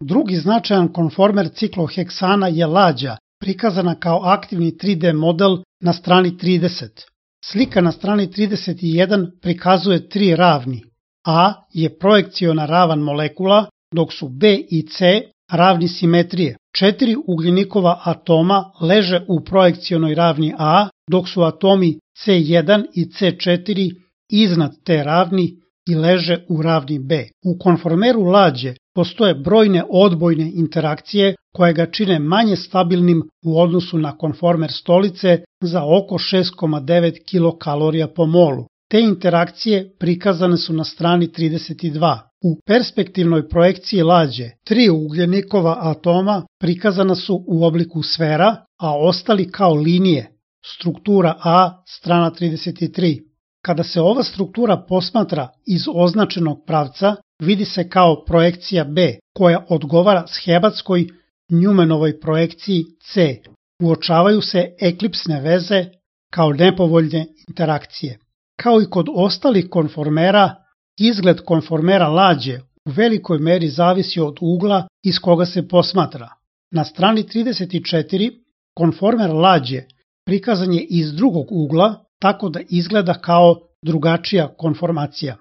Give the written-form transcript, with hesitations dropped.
Drugi značajan konformer cikloheksana je lađa, prikazana kao aktivni 3D model na strani 30. Slika na strani 31 prikazuje tri ravni. A je projekciona ravan molekula, dok su B i C ravni simetrije. 4 ugljenikova atoma leže u projekcionoj ravni A, dok su atomi C1 i C4 iznad te ravni i leže u ravni B. U konformeru lađe postoje brojne odbojne interakcije koje ga čine manje stabilnim u odnosu na konformer stolice za oko 6,9 kilokalorija po molu. Te interakcije prikazane su na strani 32. U perspektivnoj projekciji lađe 3 ugljenikova atoma prikazana su u obliku sfera, a ostali kao linije. Struktura A, strana 33. Kada se ova struktura posmatra iz označenog pravca, vidi se kao projekcija B, koja odgovara schematskoj Newmanovoj projekciji C. Uočavaju se eklipsne veze kao nepovoljne interakcije. Kao i kod ostalih konformera, izgled konformera lađe u velikoj meri zavisi od ugla iz koga se posmatra. Na strani 34 konformer lađe prikazan je iz drugog ugla, tako da izgleda kao drugačija konformacija.